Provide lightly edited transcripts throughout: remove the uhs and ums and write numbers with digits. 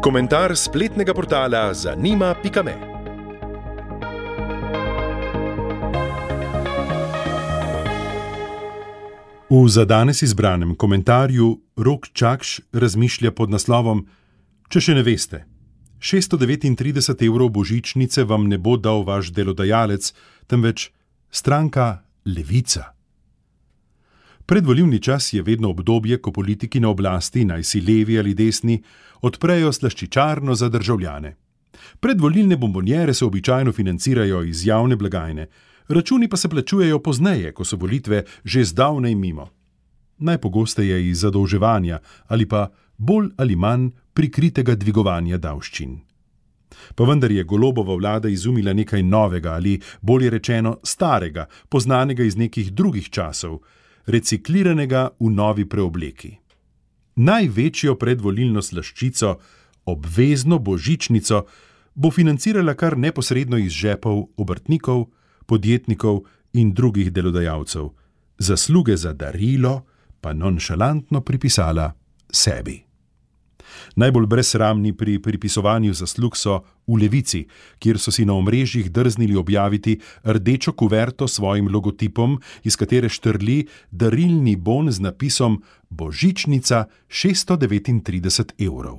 Komentar spletnega portala zanima.me. V za danes izbranem komentarju Rok Čakš razmišlja pod naslovom: Če še ne veste, 639 evrov božičnice vam ne bo dal vaš delodajalec, temveč stranka Levica. Predvolilni čas je vedno obdobje, ko politiki na oblasti, naj si levi ali desni, odprejo slaščičarno za državljane. Predvolilne bombonjere se običajno financirajo iz javne blagajne, računi pa se plačujejo pozneje, ko so volitve že zdavnaj mimo. Najpogosteje iz zadolževanja ali pa bolj ali manj prikritega dvigovanja davščin. Pa vendar je Golobova vlada izumila nekaj novega ali, bolje rečeno, starega, poznanega iz nekih drugih časov, recikliranega v novi preobleki. Največjo predvolilno slaščico, obvezno božičnico, bo financirala kar neposredno iz žepov obrtnikov, podjetnikov in drugih delodajalcev, zasluge za darilo pa nonšalantno pripisala sebi. Najbolj brezsramni pri pripisovanju zaslug so v Levici, kjer so si na omrežjih drznili objaviti rdečo kuverto s svojim logotipom, iz katere štrli darilni bon z napisom Božičnica 639 evrov.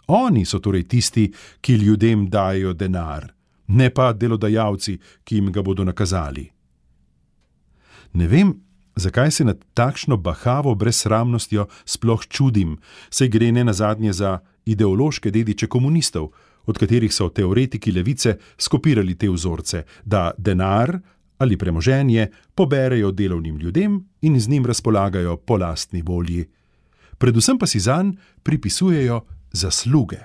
Oni so torej tisti, ki ljudem dajo denar, ne pa delodajalci, ki jim ga bodo nakazali. Ne vem, zakaj se nad takšno bahavo brezsramnostjo sploh čudim, saj gre nenazadnje za ideološke dediče komunistov, od katerih so teoretiki levice skopirali te vzorce, da denar ali premoženje poberejo delovnim ljudem in z njim razpolagajo po lastni volji. Predvsem pa si zanj pripisujejo zasluge.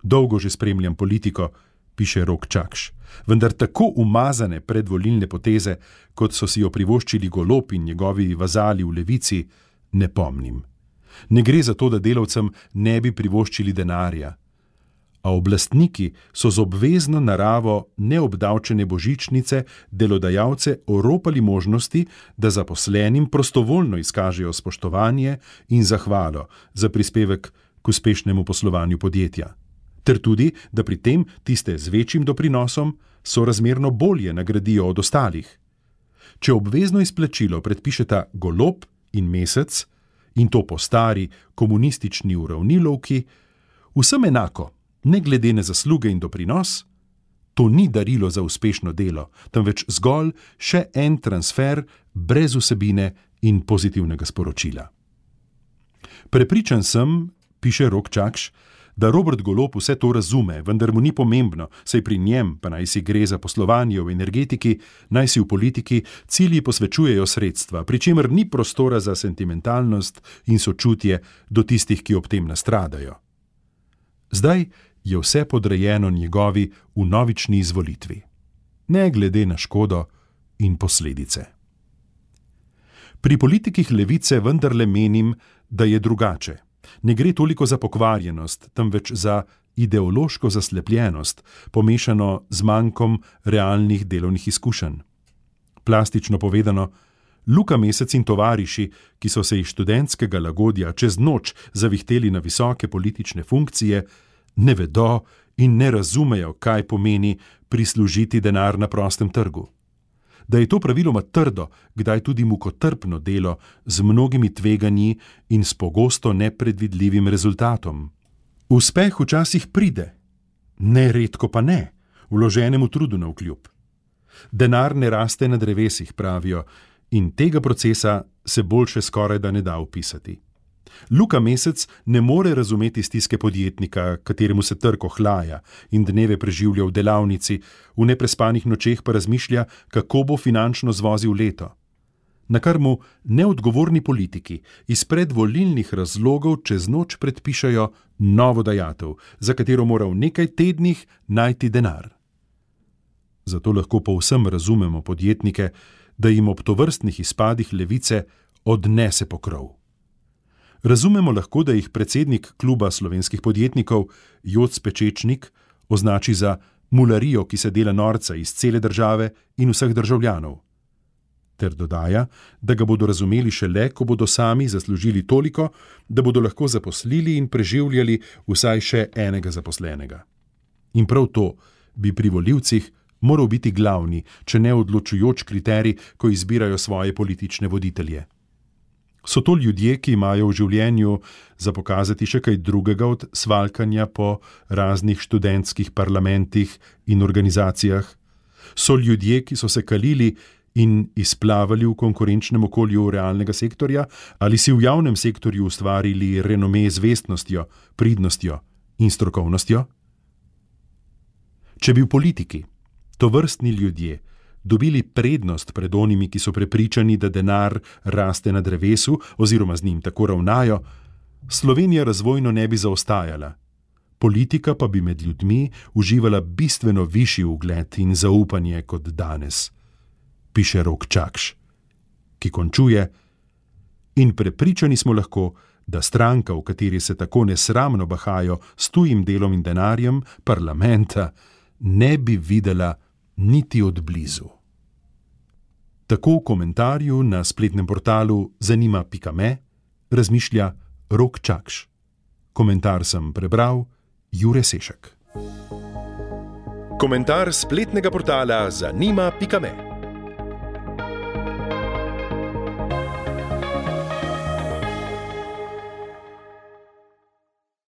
Dolgo že spremljam politiko, piše Rok Čakš, vendar tako umazane predvolilne poteze, kot so si jo privoščili Golob in njegovi vazali v Levici, ne pomnim. Ne gre za to, da delavcem ne bi privoščili denarja, a oblastniki so z obvezno naravo neobdavčene božičnice delodajalce oropali možnosti, da zaposlenim prostovoljno izkažejo spoštovanje in zahvalo za prispevek k uspešnemu poslovanju podjetja. Ter tudi, da pri tem tiste z večjim doprinosom sorazmerno bolje nagradijo od ostalih. Če obvezno izplačilo predpišeta Golob in Mesec, in to po stari komunistični uravnilovki, vsem enako, ne glede na zasluge in doprinos, to ni darilo za uspešno delo, temveč zgolj še en transfer brez vsebine in pozitivnega sporočila. Prepričan sem, piše Rok Čakš, da Robert Golob vse to razume, vendar mu ni pomembno, saj pri njem, pa naj si gre za poslovanje v energetiki, naj si v politiki, cilji posvečujejo sredstva, pri čemer ni prostora za sentimentalnost in sočutje do tistih, ki ob tem nastradajo. Zdaj je vse podrejeno njegovi vnovični izvolitvi, ne glede na škodo in posledice. Pri politikih Levice vendarle menim, da je drugače. Ne gre toliko za pokvarjenost, temveč za ideološko zaslepljenost, pomešano z mankom realnih delovnih izkušenj. Plastično povedano, Luka Mesec in tovariši, ki so se iz študentskega lagodja čez noč zavihteli na visoke politične funkcije, ne vedo in ne razumejo, kaj pomeni prislužiti denar na prostem trgu. Da je to praviloma trdo, kdaj tudi mukotrpno delo z mnogimi tveganji in s pogosto nepredvidljivim rezultatom. Uspeh včasih pride, neredko pa ne, vloženemu trudu navkljub. Denar ne raste na drevesih, pravijo, in tega procesa se boljše skoraj da ne da opisati. Luka Mesec ne more razumeti stiske podjetnika, kateremu se trg ohlaja in dneve preživlja v delavnici, v neprespanih nočeh pa razmišlja, kako bo finančno zvozil leto. Na kar mu neodgovorni politiki iz predvolilnih razlogov čez noč predpišajo novo dajatev, za katero mora v nekaj tednih najti denar. Zato lahko povsem razumemo podjetnike, da jim ob tovrstnih izpadih Levice odnese pokrov. Razumemo lahko, da jih predsednik Kluba slovenskih podjetnikov Joc Pečečnik označi za mularijo, ki se dela norca iz cele države in vseh državljanov. ter dodaja, da ga bodo razumeli šele, ko bodo sami zaslužili toliko, da bodo lahko zaposlili in preživljali vsaj še enega zaposlenega. In prav to bi pri volivcih moral biti glavni, če ne odločujoč kriterij, ko izbirajo svoje politične voditelje. So to ljudje, ki imajo v življenju za pokazati še kaj drugega od svalkanja po raznih študentskih parlamentih in organizacijah? So ljudje, ki so se kalili in izplavali v konkurenčnem okolju realnega sektorja, ali si v javnem sektorju ustvarili renome z vestnostjo, pridnostjo in strokovnostjo? Če bi v politiki tovrstni ljudje dobili prednost pred onimi, ki so prepričani, da denar raste na drevesu oziroma z njim tako ravnajo, Slovenija razvojno ne bi zaostajala. Politika pa bi med ljudmi uživala bistveno višji ugled in zaupanje kot danes, piše Rok Čakš, ki končuje: in prepričani smo lahko, da stranka, v kateri se tako nesramno bahajo s tujim delom in denarjem, parlamenta, ne bi videla niti od blizu. Tako v komentarju na spletnem portalu zanima.me razmišlja Rok Čakš. Komentar sem prebral Jure Sešek. Komentar spletnega portala zanima.me